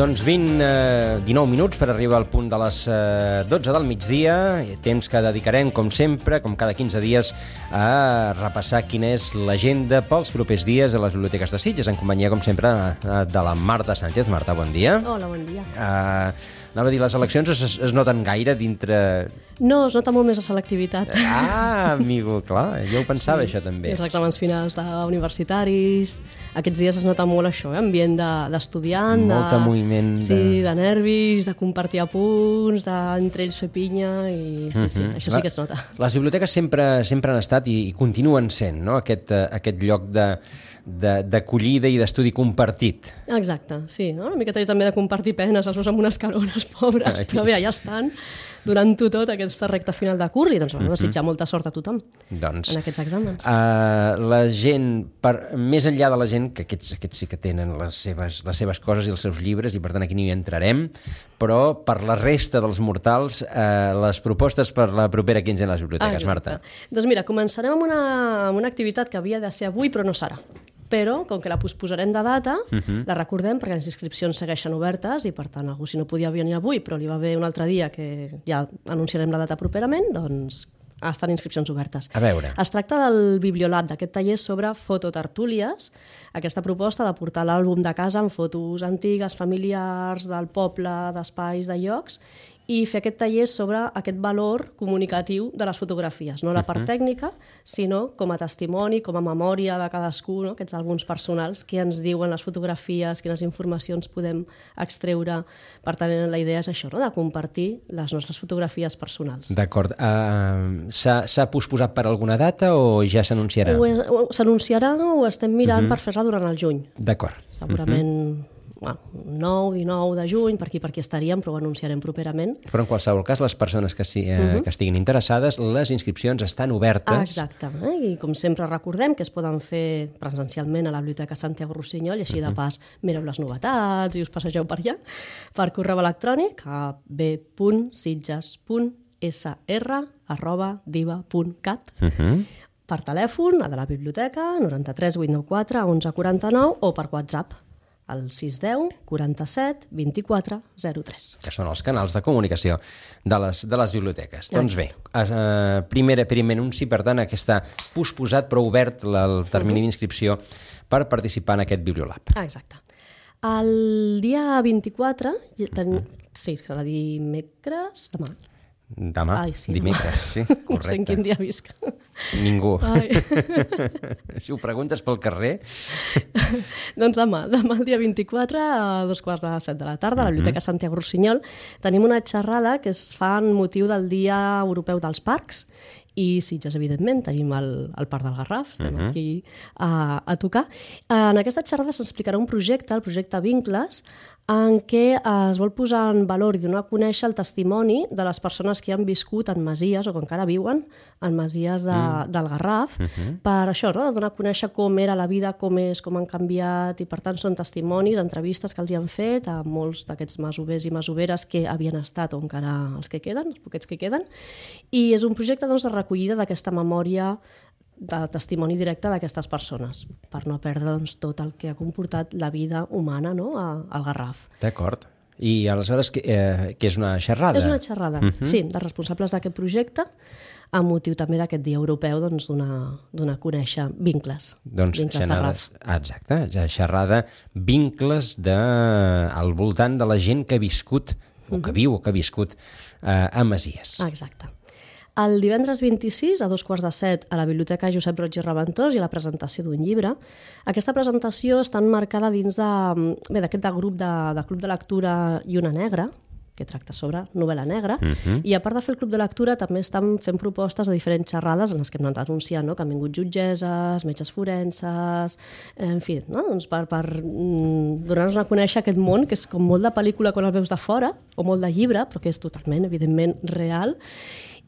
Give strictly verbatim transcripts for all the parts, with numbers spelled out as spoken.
Doncs vint, eh, dinou minuts per arribar al punt de les eh, dotze del migdia, temps que dedicarem, com sempre, com cada quinze dies, a repassar quina és l'agenda pels propers dies a les biblioteques de Sitges, en companyia, com sempre, de la Marta Sánchez. Marta, bon dia. Hola, bon dia. Uh, anava a dir, les eleccions es, es noten gaire dintre... No, es nota molt més la selectivitat. Ah, amigo, clar, jo ho pensava, sí, això també. Els exàmens finals d'universitaris, aquests dies es nota molt això, eh? Ambient d'estudiant, de, Molta de, moviment. De... Sí, de nervis, de compartir apunts, d'entre ells fer pinya, i sí, sí, uh-huh. això sí que es nota. Les biblioteques sempre, sempre han estat i, i continuen sent, no?, aquest, aquest lloc de... d'acollida i d'estudi compartit. Exacte, sí, no? Una miqueta també de compartir penes, els meus amb unes carones pobres, Ai. Però bé, ja estan donant-ho tot aquesta recta final de curs i doncs vam desitjar molta sort a tothom doncs, en aquests exàmens. Uh, la gent, per, més enllà de la gent, que aquests, aquests sí que tenen les seves, les seves coses i els seus llibres i per tant aquí no hi entrarem, però per la resta dels mortals, uh, les propostes per la propera quinzena a les biblioteques, ah, Marta. Doncs mira, començarem amb una, amb una activitat que havia de ser avui però no serà. Però, com que la posposarem de data, uh-huh. la recordem perquè les inscripcions segueixen obertes i, per tant, algú si no podia venir avui, però li va bé un altre dia que ja anunciarem la data properament, doncs estan inscripcions obertes. A veure. Es tracta del Bibliolab, d'aquest taller sobre fototertúlies, aquesta proposta de portar l'àlbum de casa amb fotos antigues, familiars, del poble, d'espais, de llocs, i fer aquest taller sobre aquest valor comunicatiu de les fotografies, no la part tècnica, sinó com a testimoni, com a memòria de cadascú, no? Aquests àlbums personals que ens diuen les fotografies, quines informacions podem extreure. Per tant, la idea és això, no? De compartir les nostres fotografies personals. D'acord. Uh, s'ha posposat per alguna data o ja s'anunciarà? S'anunciarà o estem mirant uh-huh. per fer-la durant el juny. D'acord. Segurament... Uh-huh. Bueno, nou, dinou de juny, per aquí per aquí estaríem, però ho anunciarem properament. Però en qualsevol cas, les persones que, si, eh, uh-huh. que estiguin interessades, les inscripcions estan obertes. Ah, exacte, eh? I com sempre recordem que es poden fer presencialment a la Biblioteca Santiago Rossinyol i així uh-huh. de pas mireu les novetats i us passegeu per allà, per correu electrònic a b punt sitges punt s r arroba diva punt cat. Uh-huh. Per telèfon, a de la biblioteca, noranta-tres vuit noranta quatre onze quaranta-nou o per WhatsApp al sis deu quaranta-set vint-i-quatre zero tres. Que són els canals de comunicació de les, de les biblioteques. Exacte. Doncs bé, uh, primer, primer anunci, per tant, que està posposat però obert el termini uh-huh. d'inscripció per participar en aquest Bibliolab. Ah, exacte. El dia vint-i-quatre, ten... uh-huh. sí, serà dimecres, demà. Demà, Ai, sí, dimecres, sí, correcte. No sé en quin dia visc. Ningú. Si ho preguntes pel carrer... Doncs demà, demà el dia vint-i-quatre a dos quarts de set de la tarda a la Biblioteca Santiago Rossinyol tenim una xerrada que es fa en motiu del Dia Europeu dels Parcs i Sitges, evidentment, tenim el, el Parc del Garraf, estem uh-huh. aquí a, a tocar. En aquesta xerrada s'explicarà un projecte, el projecte Vincles, en què es vol posar en valor i donar a conèixer el testimoni de les persones que han viscut en masies o que encara viuen en masies de, mm. del Garraf, uh-huh. per això, no? De donar a conèixer com era la vida, com és, com han canviat, i per tant són testimonis, entrevistes que els hi han fet a molts d'aquests masovers i masoveres que havien estat o encara els que queden, els poquets que queden, i és un projecte doncs, de recollida d'aquesta memòria de testimoni directe d'aquestes persones, per no perdre doncs, tot el que ha comportat la vida humana, no? a, al Garraf. D'acord. I aleshores, què eh, és una xerrada? És una xerrada, uh-huh. sí, dels responsables d'aquest projecte, amb motiu també d'aquest dia europeu doncs, donar a conèixer vincles. Doncs vincles xerrades, exacte, xerrada, vincles de, al voltant de la gent que ha viscut, o que uh-huh. viu o que ha viscut eh, a masies. Exacte. El divendres vint-i-sis, a dos quarts de set, a la Biblioteca Josep Roig i Reventós hi ha la presentació d'un llibre. Aquesta presentació està enmarcada dins d'aquest de, grup de, de Club de Lectura i una Negra, que tracta sobre novel·la negra, uh-huh. i a part de fer el Club de Lectura també estan fent propostes de diferents xerrades en les que hem anat anunciant, no? Que han vingut jutgesses, metges forenses, en fi, no? Doncs per, per mm, donar-nos a conèixer aquest món, que és com molt de pel·lícula quan el veus de fora, o molt de llibre, però que és totalment, evidentment, real.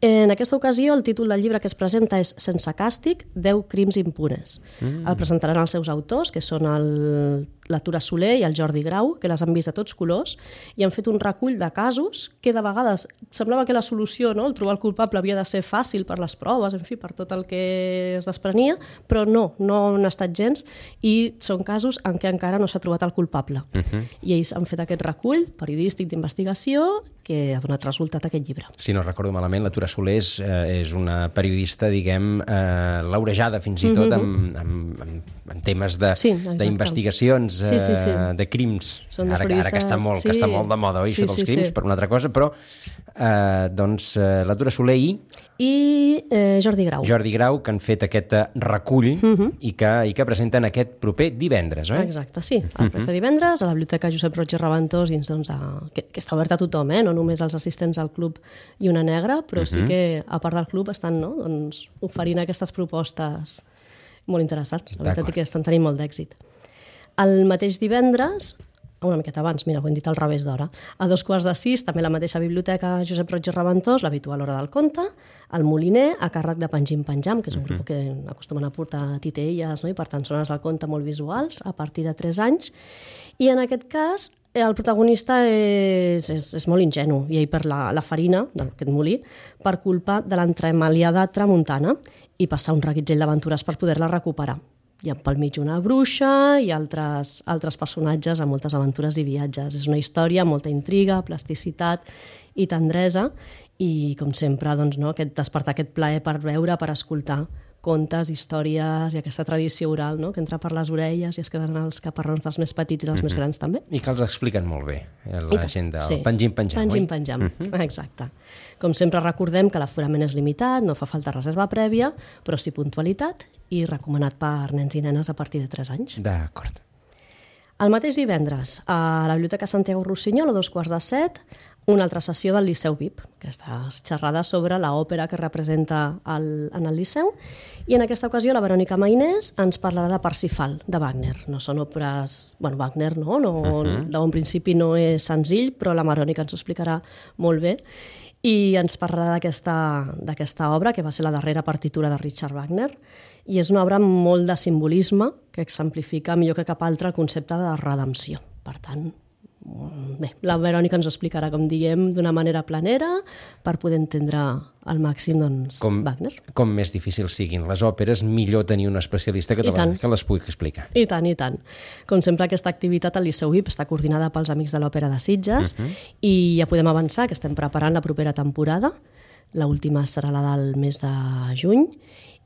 En aquesta ocasió, el títol del llibre que es presenta és Sense càstig, deu crims impunes. Mm. El presentaran els seus autors, que són el, la Tura Soler i el Jordi Grau, que les han vist de tots colors, i han fet un recull de casos que de vegades semblava que la solució, no? El trobar el culpable havia de ser fàcil per les proves, en fi, per tot el que es desprenia, però no, no han estat gens, i són casos en què encara no s'ha trobat el culpable. Uh-huh. I ells han fet aquest recull periodístic d'investigació que ha donat resultat a aquest llibre. Si no recordo malament, la Tura Soler és, eh, és una periodista, diguem, eh, laurejada fins i tot uh-huh. amb, amb, amb, amb temes d'investigacions, sí, sí, sí, sí. eh, de crims. Ara, ara que està molt, sí. que està molt de moda, oi, sí, això dels sí, crims, sí. per una altra cosa, però eh, doncs eh, la Tura Soler i... I eh, Jordi Grau. Jordi Grau, que han fet aquest recull uh-huh. i, que, i que presenten aquest proper divendres, oi? Exacte, sí. El proper uh-huh. divendres a la Biblioteca Josep Roig i Reventós, dins, doncs, a, que, que està oberta a tothom, eh? No només als assistents al club i una negra, però uh-huh. sí que a part del club estan, no? doncs, oferint aquestes propostes molt interessants. La veritat és que estan tenint molt d'èxit. El mateix divendres, una miqueta abans, mira, ho hem dit al revés d'hora, a dos quarts de sis, també la mateixa Biblioteca Josep Roig i Reventós, l'habitual Hora del Conte, el Moliner, a càrrec de Pengim Penjam, que és un grup que acostumen a portar titelles, no? I per tant són hores del conte molt visuals, a partir de tres anys, i en aquest cas el protagonista és, és, és molt ingenu, i ell per la, la farina d'aquest molí, per culpa de l'entremaliada tramuntana, i passar un reguitzell d'aventures per poder-la recuperar. Hi ha pel mig una bruixa i altres, altres personatges amb moltes aventures i viatges. És una història amb molta intriga, plasticitat i tendresa, i com sempre doncs, no, aquest, despertar aquest plaer per veure, per escoltar contes, històries i aquesta tradició oral, no? Que entra per les orelles i es queden els caparrons dels més petits i dels mm-hmm. més grans també. I que els expliquen molt bé, la gent del sí. Pengim Penjam, Pengim Penjam, mm-hmm. exacte. Com sempre recordem que l'aforament és limitat, no fa falta reserva prèvia, però sí puntualitat i recomanat per nens i nenes a partir de tres anys. D'acord. El mateix divendres, a la Biblioteca Santiago Rossinyol, a dos quarts de set, una altra sessió del Liceu V I P, aquesta xerrada sobre l'òpera que representa el, en el Liceu, i en aquesta ocasió la Verònica Mainés ens parlarà de Parsifal, de Wagner. No són òperes... Bueno, Wagner no, no uh-huh. d'un principi no és senzill, però la Verònica ens ho explicarà molt bé, i ens parlarà d'aquesta obra, que va ser la darrera partitura de Richard Wagner, i és una obra amb molt de simbolisme que exemplifica millor que cap altre el concepte de redempció. Per tant, bé, la Verònica ens ho explicarà, com diem, d'una manera planera per poder entendre al màxim doncs, com, Wagner. Com més difícils siguin les òperes, millor tenir un especialista que, la, que les pugui explicar. I tant, i tant. Com sempre, aquesta activitat al Liceu V I P està coordinada pels Amics de l'Òpera de Sitges uh-huh. i ja podem avançar que estem preparant la propera temporada. L'última serà la del mes de juny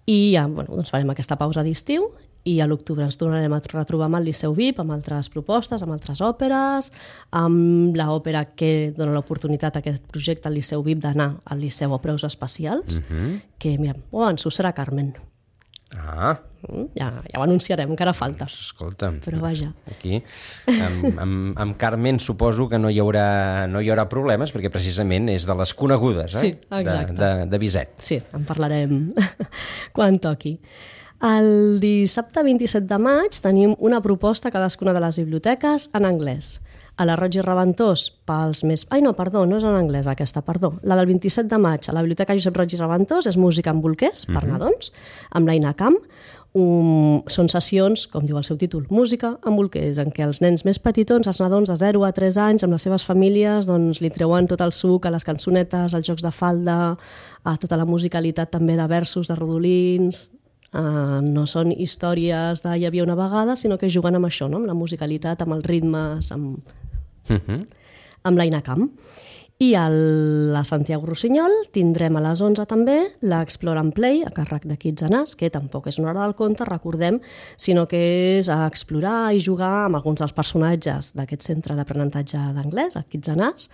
i ja bueno, doncs farem aquesta pausa d'estiu i a l'octubre ens tornarem a retrobar amb el Liceu V I P, amb altres propostes, amb altres òperes, amb l'òpera que dona l'oportunitat a aquest projecte al Liceu V I P d'anar al Liceu a preus especials, uh-huh. que, mira, ho avanço, serà Carmen. Ah. Ja, ja ho anunciarem, encara falta. Escolta, però vaja. Aquí, amb, amb, amb Carmen suposo que no hi haurà, no hi haurà problemes, perquè precisament és de les conegudes, eh? Sí, exacte. De, de, de Bizet. Sí, en parlarem quan toqui. El dissabte vint-i-set de maig tenim una proposta a cadascuna de les biblioteques en anglès. A la Roig i Reventós, pels més... Ai, no, perdó, no és en anglès aquesta, perdó. La del vint-i-set de maig a la Biblioteca Josep Roig i Reventós és música en bolquers, per mm-hmm. nadons, amb l'Aina Camp. Um, són sessions, com diu el seu títol, música en bolquers, en què els nens més petitons, els nadons de zero a tres anys, amb les seves famílies, doncs, li treuen tot el suc a les cançonetes, als jocs de falda, a tota la musicalitat també de versos, de rodolins... Uh, no són històries de hi havia una vegada, sinó que juguen amb això, no? Amb la musicalitat, amb els ritmes, amb, uh-huh. amb l'Aina Camp. I a la Santiago Rossinyol tindrem a les onze també l'Explore and Play, a càrrec de Kids and Us, que tampoc és una hora del conte, recordem, sinó que és a explorar i jugar amb alguns dels personatges d'aquest centre d'aprenentatge d'anglès, a Kids and Us,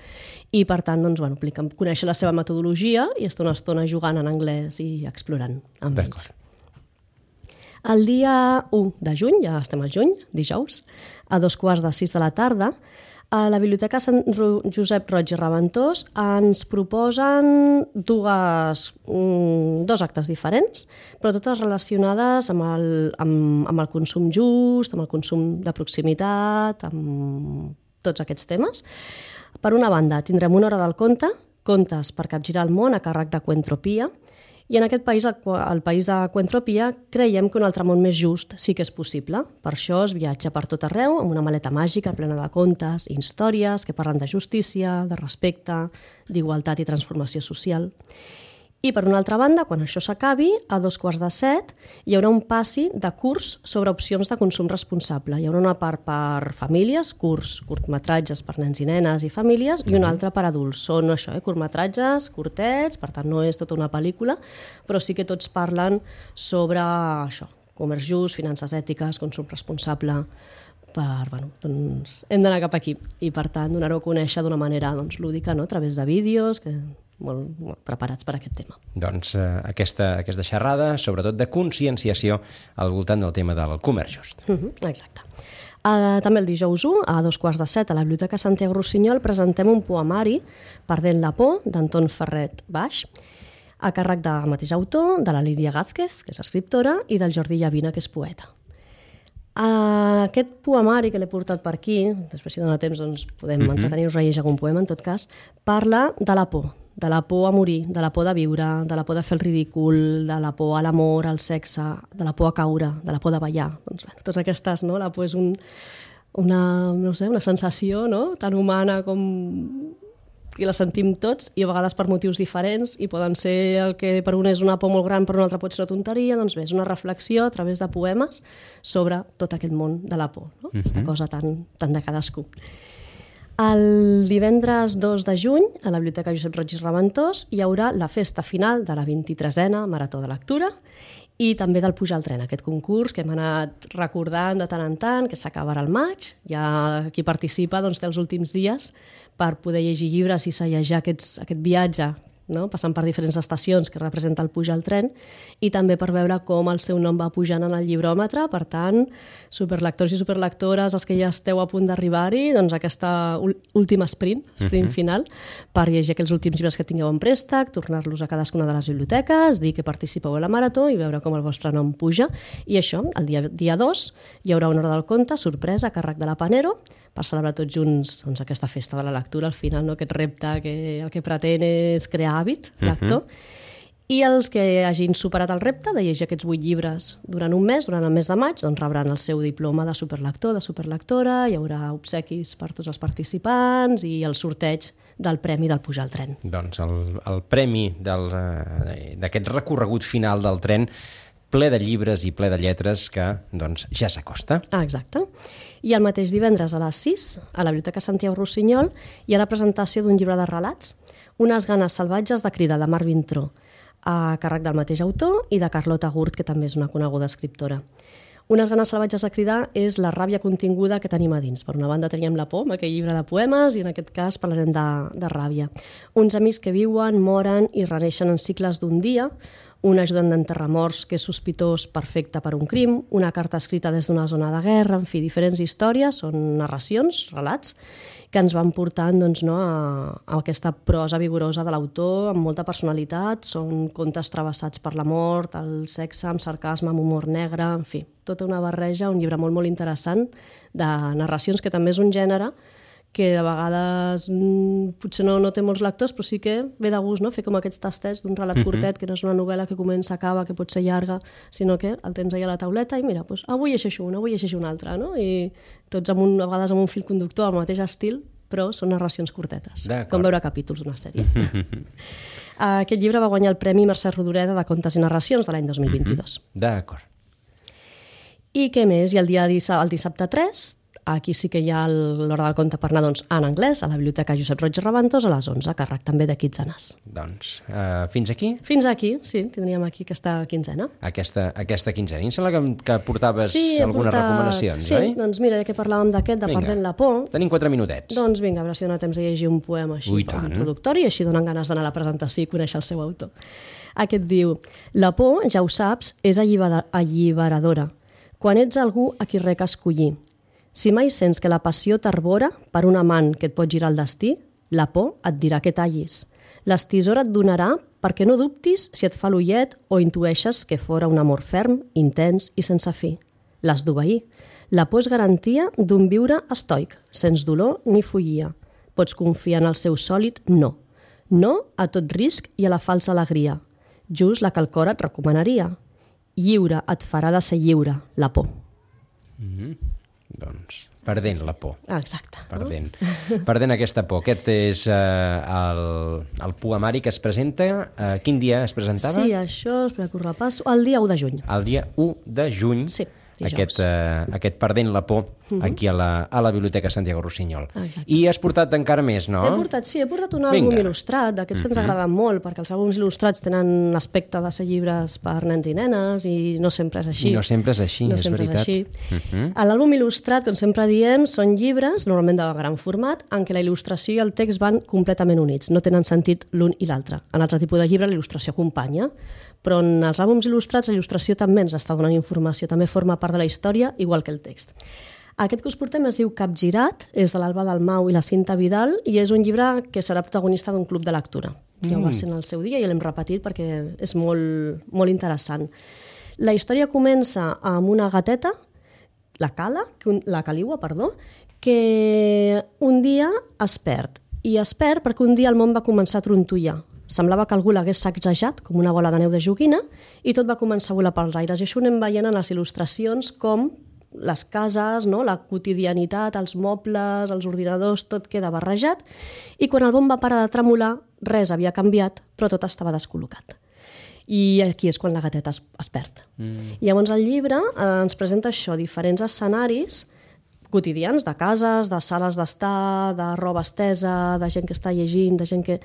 i per tant, doncs, bueno, conèixer la seva metodologia i estar una estona jugant en anglès i explorant amb ells. El dia u de juny, ja estem al juny, dijous, a dos quarts de sis de la tarda, a la Biblioteca Sant Josep Roig i Reventós ens proposen dues, um, dos actes diferents, però totes relacionades amb el, amb, amb el consum just, amb el consum de proximitat, amb tots aquests temes. Per una banda, tindrem una hora del conte, contes per capgirar el món a càrrec de Coentropia, I en aquest país, el país de Coentropia, creiem que un altre món més just sí que és possible. Per això es viatja per tot arreu amb una maleta màgica plena de contes i històries que parlen de justícia, de respecte, d'igualtat i transformació social. I, per una altra banda, quan això s'acabi, a dos quarts de set, hi haurà un passi de curs sobre opcions de consum responsable. Hi haurà una part per famílies, curs, curtmetratges per nens i nenes i famílies, i una altra per adults. Són això, eh, curtmetratges, curtets, per tant no és tota una pel·lícula, però sí que tots parlen sobre això, comerç just, finances ètiques, consum responsable, per, bueno, doncs hem d'anar cap aquí i per tant donar-ho a conèixer d'una manera doncs, lúdica, no? A través de vídeos que molt, molt preparats per a aquest tema. Doncs eh, aquesta, aquesta xerrada, sobretot de conscienciació al voltant del tema del comerç just. Uh-huh, exacte. Uh, també el dijous u, a dos quarts de set, a la Biblioteca Santiago Rossinyol, presentem un poemari, Perdent la por, d'Anton Ferret Baix, a càrrec del mateix autor, de la Lídia Gázquez, que és escriptora, i del Jordi Llavina, que és poeta. Uh, aquest poemari que l'he portat per aquí, després si dona temps doncs podem uh-huh. entretenir-nos a llegir algun poema en tot cas, parla de la por, de la por a morir, de la por de viure, de la por de fer el ridícul, de la por a l'amor, al sexe, de la por a caure, de la por de ballar. Doncs bé, totes aquestes, no? La por és un, una, no sé, una sensació, no? Tan humana com que la sentim tots i a vegades per motius diferents i poden ser el que per un és una por molt gran, per un altre pot ser una tonteria, doncs bé, és una reflexió a través de poemes sobre tot aquest món de la por, no? Uh-huh. Aquesta cosa tan, tan de cadascú. El divendres dos de juny, a la Biblioteca Josep Roig i Raventós, hi haurà la festa final de la vint-i-tresena Marató de Lectura i també del Pujar al tren, aquest concurs que hem anat recordant de tant en tant, que s'acabarà al maig. Ja qui participa doncs, té els últims dies per poder llegir llibres i sagejar aquests, aquest viatge, no? Passant per diferents estacions que representa el Pujar al tren i també per veure com el seu nom va pujant en el llibròmetre. Per tant, superlectors i superlectores, els que ja esteu a punt d'arribar-hi, doncs aquesta última sprint, sprint uh-huh. final, per llegir aquells últims llibres que tingueu en préstec, tornar-los a cadascuna de les biblioteques, dir que participeu a la marató i veure com el vostre nom puja. I això, el dia, dia dos, hi haurà una hora del conte, sorpresa, a càrrec de la Panero, per celebrar tots junts doncs, aquesta festa de la lectura, al final, no? Aquest repte que el que pretén és crear hàbit lector. Uh-huh. I els que hagin superat el repte de llegir aquests vuit llibres durant un mes, durant el mes de maig, doncs rebran el seu diploma de superlector, de superlectora, hi haurà obsequis per tots els participants i el sorteig del premi del Pujar al tren. Doncs el, el premi del, d'aquest recorregut final del tren ple de llibres i ple de lletres que doncs, ja s'acosta. Ah, exacte. I el mateix divendres a les sis, a la Biblioteca Santiago Rossinyol, hi ha la presentació d'un llibre de relats, Unes ganes salvatges de cridar, de Marc Vintró, a càrrec del mateix autor i de Carlota Gurt, que també és una coneguda escriptora. Unes ganes salvatges de cridar és la ràbia continguda que tenim a dins. Per una banda teníem la por, amb aquell llibre de poemes, i en aquest cas parlarem de, de ràbia. Uns amics que viuen, moren i reneixen en cicles d'un dia, un ajudant d'enterrar morts que és sospitós perfecte per un crim, una carta escrita des d'una zona de guerra, en fi, diferents històries, són narracions, relats, que ens van portant doncs, no, a, a aquesta prosa vigorosa de l'autor, amb molta personalitat, són contes travessats per la mort, el sexe, amb sarcasme, amb humor negre, en fi, tota una barreja, un llibre molt, molt interessant de narracions, que també és un gènere que de vegades mm, potser no, no té molts lectors, però sí que ve de gust, no? Fer com aquests tastets d'un relat curtet, que no és una novel·la que comença, acaba, que pot ser llarga, sinó que el tens allà a la tauleta i mira, doncs, avui llegeixo una, avui llegeixo una altra, no? I tots amb un, a vegades amb un fil conductor, al mateix estil, però són narracions curtetes, com veure capítols d'una sèrie. Aquest llibre va guanyar el Premi Mercè Rodoreda de Contes i Narracions de l'any dos mil vint-i-dos. D'acord. I què més? I el dia el dissabte tres, aquí sí que hi ha l'hora del conte per anar doncs, en anglès, a la Biblioteca Josep Roig i Raventós, a les onze, a càrrec també de Kids and Us. Doncs uh, fins aquí? Fins aquí, sí, tindríem aquí aquesta quinzena. Aquesta, aquesta quinzena. I em sembla que, que portaves sí, algunes portat... recomanacions, sí, oi? Sí, doncs mira, ja que parlàvem d'aquest, de vinga, Perdent la por... Tenim quatre minutets. Doncs vinga, a veure si dona temps de llegir un poema així, Ui, com introductori, i així donen ganes d'anar a la presentació i conèixer el seu autor. Aquest diu: la por, ja ho saps, és alliberadora. Quan ets algú a qui rec escollir. Si mai sents que la passió t'arbora per un amant que et pot girar el destí, la por et dirà que tallis. L'estisora et donarà perquè no dubtis si et fa l'ullet o intueixes que fora un amor ferm, intens i sense fi. L'has d'obeir. La por és garantia d'un viure estoic, sense dolor ni follia. Pots confiar en el seu sòlid no. No a tot risc i a la falsa alegria. just la que el cor et recomanaria. Lliure et farà de ser lliure, la por. Mm-hmm. Doncs, perdent la por. Ah, exacte. Perdent. Perdent aquesta por. Aquest és eh, el, el poemari que es presenta. Eh, quin dia es presentava? Sí, això, espera que ho repasso, el dia u de juny. El dia u de juny. Sí. Aquest, eh, aquest Perdent la por uh-huh. aquí a la, a la Biblioteca Santiago Rossinyol. Exacte. I has portat encara més, no? He portat, sí, he portat un àlbum Vinga. il·lustrat, d'aquests uh-huh. que ens Mhm. agraden molt, perquè els àlbums il·lustrats tenen aspecte de ser llibres per nens i nenes i no sempre és així. I no sempre és així, no és sempre veritat. És així. Uh-huh. A l'àlbum il·lustrat, com sempre diem, són llibres, normalment de gran format, en què la il·lustració i el text van completament units, no tenen sentit l'un i l'altre. En altre tipus de llibre la il·lustració acompanya, però en els àlbums il·lustrats la il·lustració també ens està donant informació, també forma part de la història, igual que el text. Aquest que us portem es diu Capgirat, és de l'Alba Dalmau i la Cinta Vidal, i és un llibre que serà protagonista d'un club de lectura. Ja ho va ser en el seu dia i l'hem repetit perquè és molt, molt interessant. La història comença amb una gateta, la Cala, la Caliua, perdó, que un dia es perd. I es perd perquè un dia el món va començar a trontollar. Semblava que algú l'hagués sacsejat, com una bola de neu de joguina, i tot va començar a volar pels aires. I això ho anem veient en les il·lustracions com les cases, no? La quotidianitat, els mobles, els ordinadors, tot queda barrejat. I quan el món va parar de tremolar, res havia canviat, però tot estava descol·locat. I aquí és quan la gateta es, es perd. Mm. I llavors el llibre eh, ens presenta això, diferents escenaris quotidians, de cases, de sales d'estar, de roba estesa, de gent que està llegint, de gent que...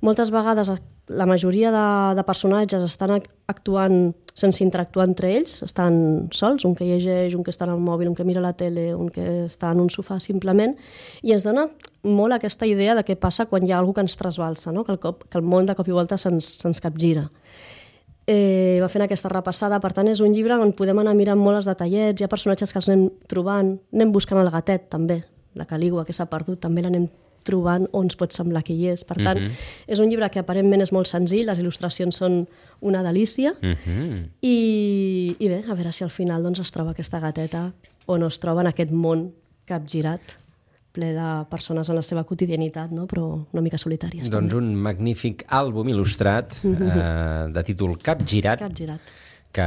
Moltes vegades la majoria de, de personatges estan actuant sense interactuar entre ells, estan sols, un que llegeix, un que està en el mòbil, un que mira la tele, un que està en un sofà simplement, i ens dona molt aquesta idea de què passa quan hi ha algú que ens trasbalsa, no? que, el cop, que el món de cop i volta se'ns, se'ns capgira. Eh, va fent aquesta repassada, per tant és un llibre on podem anar mirant molt els detallets, hi ha personatges que els anem trobant, anem buscant el gatet també, la Caligua que s'ha perdut, també l'anem trobant on ens pot semblar que hi és, per tant uh-huh. és un llibre que aparentment és molt senzill, les il·lustracions són una delícia uh-huh. i, i bé, a veure si al final doncs, es troba aquesta gateta o no es troba en aquest món capgirat ple de persones en la seva quotidianitat, no? Però una mica solitàries. Doncs també. Un magnífic àlbum il·lustrat eh, de títol Capgirat, Capgirat, que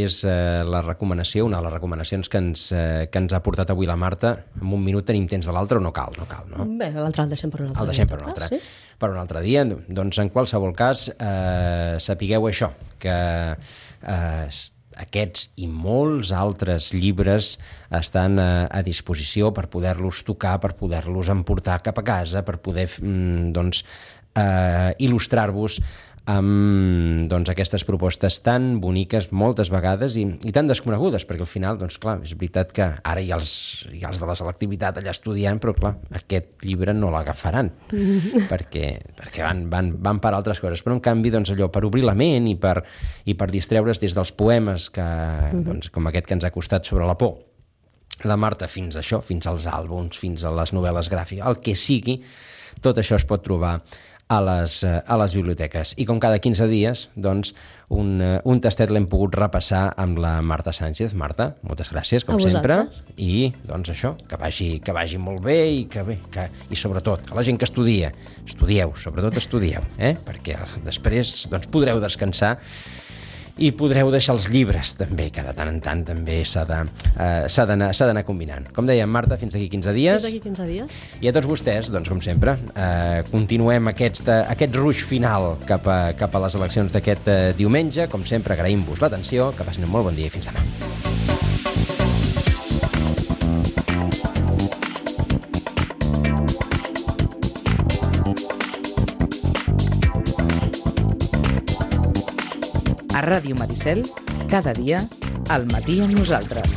és eh, la recomanació, una de les recomanacions que ens, eh, que ens ha portat avui la Marta. En un minut tenim temps de l'altre o no cal? No cal, no? Bé, l'altre el deixem per un altre el deixem dia. per un altre, Sí? per un altre dia. Doncs en qualsevol cas, eh, sapigueu això, que eh, aquests i molts altres llibres estan a, a disposició per poder-los tocar, per poder-los emportar cap a casa, per poder mm, doncs, eh, il·lustrar-vos amb doncs, aquestes propostes tan boniques moltes vegades i, i tan desconegudes, perquè al final, doncs clar, és veritat que ara hi ha els, hi ha els de la selectivitat allà estudiant, però clar, aquest llibre no l'agafaran, perquè, perquè van, van, van per altres coses, però en canvi, doncs allò, per obrir la ment i per, i per distreure's des dels poemes que, doncs, com aquest que ens ha costat sobre la por, la Marta, fins a això, fins als àlbums, fins a les novel·les gràfiques, el que sigui, tot això es pot trobar a les, a les biblioteques. I com cada quinze dies, doncs, un, un tastet l'hem pogut repassar amb la Marta Sánchez. Marta, moltes gràcies, com sempre. I, doncs, això, que vagi, que vagi molt bé i que bé, que, i sobretot, a la gent que estudia, estudieu, sobretot estudieu, eh? Perquè després, doncs, podreu descansar i podreu deixar els llibres també, que de tant en tant també s'ha de, uh, s'ha d'anar, s'ha d'anar combinant. Com dèiem, Marta, fins d'aquí quinze dies. Fins d'aquí quinze dies. I a tots vostès, doncs, com sempre, uh, continuem aquest, uh, aquest ruix final cap a, cap a les eleccions d'aquest uh, diumenge. Com sempre, agraïm-vos l'atenció, que passin un molt bon dia i fins demà. A Ràdio Maricel, cada dia, al matí amb nosaltres.